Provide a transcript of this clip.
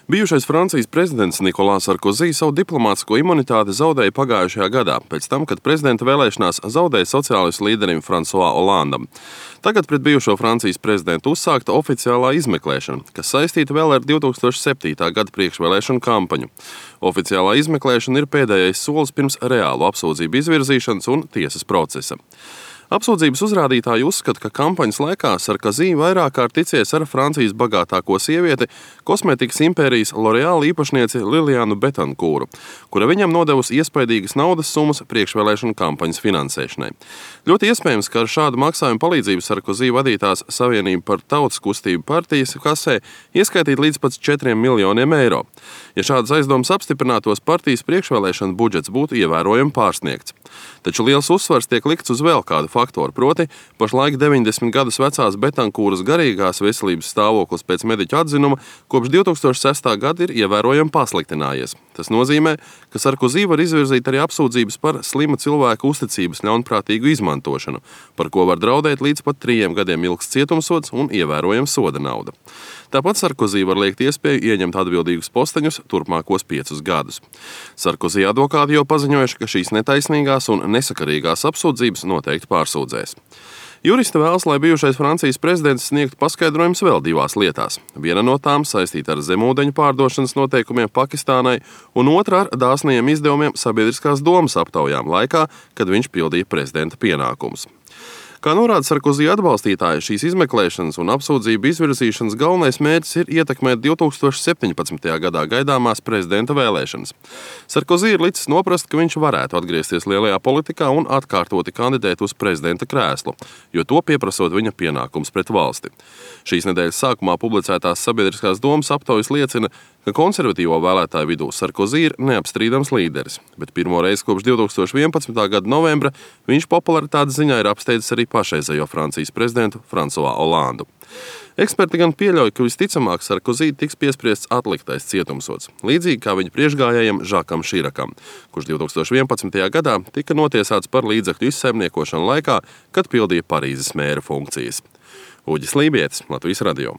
Bijušais Francijas prezidents Nikolās Sarkozī savu diplomātisko imunitāti zaudēja pagājušajā gadā, pēc tam, kad prezidenta vēlēšanās zaudēja sociālistu līderim François Hollandam. Tagad pret bijušo Francijas prezidentu uzsākta oficiālā izmeklēšana, kas saistīta vēl ar 2007. Gada priekšvēlēšanu kampaņu. Oficiālā izmeklēšana ir pēdējais solis pirms reālu apsūdzību izvirzīšanas un tiesas procesa. Apsūdzības uzrādītāji uzskata, ka kampaņas laikā Sarkozī vairāk kārt ticies ar Francijas bagātāko sievieti, kosmētikas impērijas L'Oréal īpašnieci Lilianu Betankūru, kura viņam nodevusi iespaidīgas naudas summas priekšvēlēšanu kampaņas finansēšanai. Ļoti iespējams, ka ar šādu maksājumu palīdzību Sarkozī vadītās Savienība par tautas kustību partijas kasē ieskaitīt līdz pat 4 miljoniem eiro. Ja šādas aizdomas apstiprinātos, partijas priekšvēlēšana budžets būtu ievērojami pārsniegts. Taču liels uzsvars tiek likts uz vēl kādu faktoru, proti pašlaik 90 gadus vecās Betankūras garīgās veselības stāvoklis pēc mediķu atzinuma kopš 2006. Gada ir ievērojami pasliktinājies. Tas nozīmē, ka Sarkozī var izvirzīt arī apsūdzības par slima cilvēka uzticības ļaunprātīgu izmantošanu, par ko var draudēt līdz pat 3 gadiem ilgs cietumsods un ievērojama soda nauda. Tāpat Sarkozī var liekt iespēju ieņemt atbildīgus posteņus turpmākos 5 gadus. Sarkozī advokāti jau paziņojuši, ka šīs netaisnīgās un nesakarīgās apsūdzības noteikti pārsūdzēs. Juristi vēlas, lai bijušais Francijas prezidents sniegtu paskaidrojumus vēl 2 lietās. Viena no tām saistīta ar zemūdeņu pārdošanas noteikumiem Pakistānai, un otra ar dāsnajiem izdevumiem sabiedriskās domas aptaujām laikā, kad viņš pildīja prezidenta pienākumus. Kā norāda Sarkozī atbalstītāji, šīs izmeklēšanas un apsūdzību izvirzīšanas galvenais mērķis ir ietekmēt 2017. gadā gaidāmās prezidenta vēlēšanas. Sarkozī ir licis noprast, ka viņš varētu atgriezties lielajā politikā un atkārtoti kandidēt uz prezidenta krēslu, jo to pieprasot viņa pienākums pret valsti. Šīs nedēļas sākumā publicētās sabiedriskās domas aptaujas liecina, ka konservatīvo vēlētāju vidū Sarkozī ir neapstrīdams līderis, bet pirmo reizi kopš 2011. Gada novembra viņš popularitātes ziņā ir apsteidzis arī pašreizējo Francijas prezidentu François Hollandu. Eksperti gan pieļauj, ka visticamāk Sarkozī tiks piespriests atliktais cietumsods, līdzīgi kā viņa priekšgājējam Žakam Širakam, kurš 2011. gadā tika notiesāts par līdzekļu izsaimniekošanu laikā, kad pildīja Parīzes mēra funkcijas. Uģis Lībietis, Latvijas radio.